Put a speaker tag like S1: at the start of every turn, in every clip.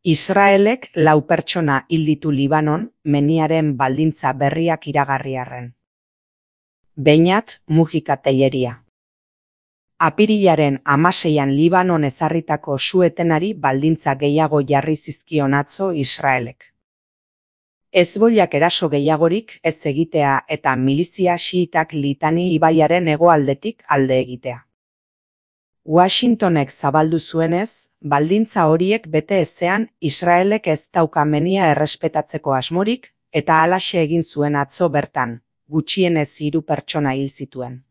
S1: Israelek 4 pertsona hil ditu Libanon meniaren baldintza berriak iragarri arren. Beñat Mujika Telleria. Apirilaren 16an Libanon ezarritako su-etenari baldintza gehiago jarri zizkion atzo Israelek. Hezbollak eraso gehiagorik ez egitea eta milizia xiitak Litani ibaiaren hegoaldetik alde egitea. Washingtonek zabaldu zuenez, baldintza horiek bete ezean Israelek ez dauka menia errespetatzeko asmorik eta halaxe egin zuen atzo bertan, gutxienez 3 pertsona hil zituen.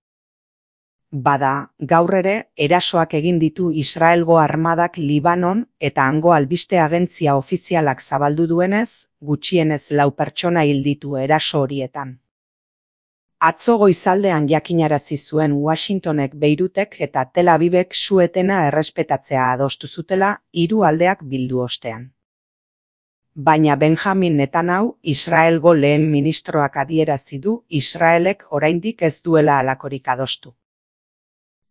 S1: Bada, gaur ere, erasoak egin ditu Israelgo armadak Libanon eta hango albiste agentzia ofizialak zabaldu duenez, gutxienez 4 pertsona hil ditu eraso horietan. Atzo goizaldean jakinarazi zuen Washingtonek Beirutek eta Tel Avivek su-etena errespetatzea adostu zutela 3 aldeak bildu ostean. Baina Benjamin Netanyahu, Israelgo lehen ministroak adierazi du Israelek oraindik ez duela halakorik adostu.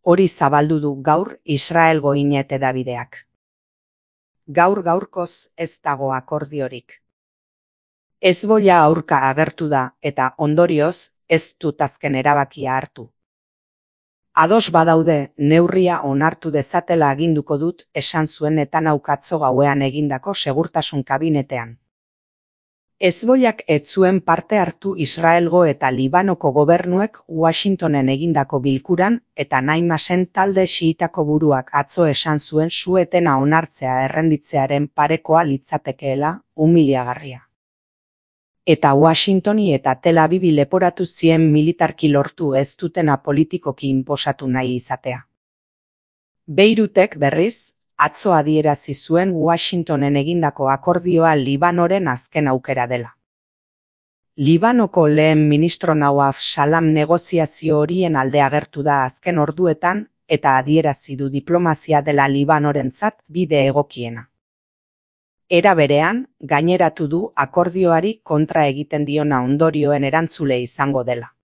S1: Hori zabaldu du gaur Israelgo inet hedabideak. Gaur-gaurkoz ez dago akordiorik. Hezbollah aurka agertu da eta ondorioz ez dut azken erabakia hartu. Ados badaude neurria onartu dezatela aginduko dut esan zuen Netanyahu atzo gauean egindako segurtasun kabinetean. Hezbollak ez zuen parte hartu Israelgo eta Libanoko gobernuek Washingtonen egindako bilkuran eta Naimasen talde xiitako buruak atzo esan zuen su-etena onartzea errenditzearen parekoa litzatekeela, umiliagarria. Eta Washingtoni eta Tel Avivi leporatu zien militarki lortu ez dutena politikoki inposatu nahi izatea. Beirutek berriz, atzo adierazi zuen Washingtonen egindako akordioa Libanoren azken aukera dela. Libanoko lehen ministro Nawaf Salam negoziazio horien alde agertu da azken orduetan eta adierazi du diplomazia dela Libanorentzat bide egokiena. Era berean, gaineratu du akordioari kontra egiten diona ondorioen erantzule izango dela.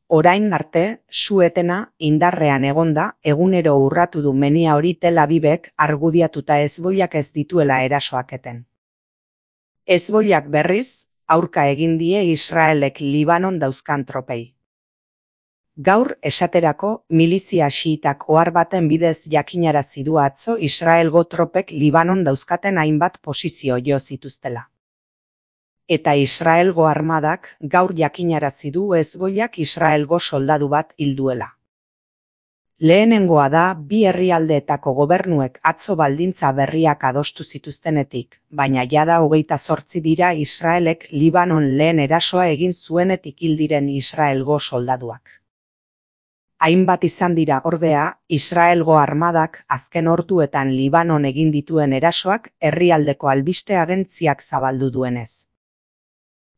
S1: Orain arte, su-etena indarrean egonda egunero urratu du menia hori Tel Avivek argudiatuta Hezbollak ez dituela erasoak eten. Hezbollak berriz, aurka egin die Israelek Libanon dauzkan tropei. Gaur esaterako milizia xiitak ohar baten bidez jakinarazi du atzo Israelgo tropek Libanon dauzkaten hainbat posizio jo zituztela. Eta Israelgo armadak gaur jakinarazi du Hezbollak Israelgo soldadu bat hil duela. Lehenengoa da bi herrialdeetako gobernuek atzo baldintza berriak adostu zituztenetik, baina jada 28 dira Israelek Libanon lehen erasoa egin zuenetik hil diren Israelgo soldaduak. Hainbat izan dira ordea, Israelgo armadak azken orduetan Libanon egin dituen erasoak herrialdeko albiste agentziak zabaldu duenez.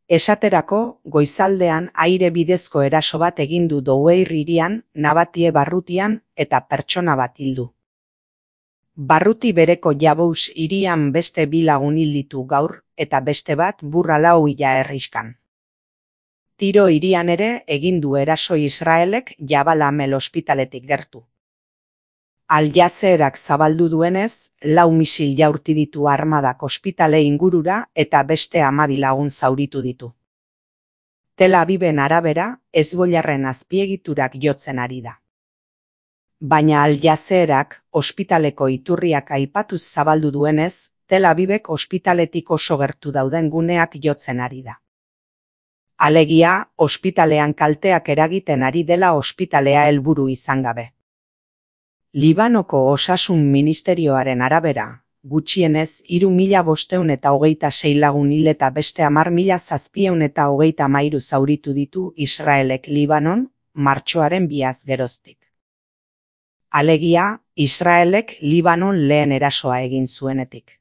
S1: Esaterako, goizaldean aire bidezko eraso bat egin du Doueir hirian, Nabatie barrutian eta pertsona bat hildu. Barruti bereko Jabous hirian beste 2 lagun hil ditu gaur eta beste bat Burralau hila herriskan. Tiro hirian ere egin du eraso Israelek Jabal Amel ospitaletik gertu. Al Jazeerak zabaldu duenez, 4 misil jaurti ditu armadak ospitale ingurura eta beste 12 lagun zauritu ditu. Tel Aviven arabera, Hezbollarren azpiegiturak jotzen ari da. Baina Al Jazeerak ospitaleko iturriak aipatuz zabaldu duenez, Tel Avivek ospitaletik oso gertu dauden guneak jotzen ari da. Alegia, ospitalean kalteak eragiten ari dela ospitalea helburu izan gabe. Libanoko osasun ministerioaren arabera, gutxienez 3.526 lagun hil eta beste 10.733 zauritu ditu Israelek Libanon, martxoaren 2 geroztik. Alegia, Israelek Libanon lehen erasoa egin zuenetik.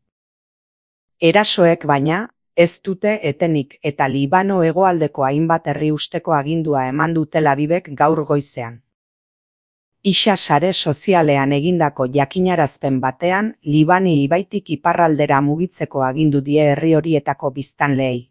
S1: Erasoek baina, ez dute etenik eta Libano hegoaldeko hainbat herri usteko agindua eman du Tel Avivek gaur goizean. Isa sare sozialean egindako jakinarazpen batean, Libani ibaitik iparraldera mugitzeko agindu die herri horietako biztanleei.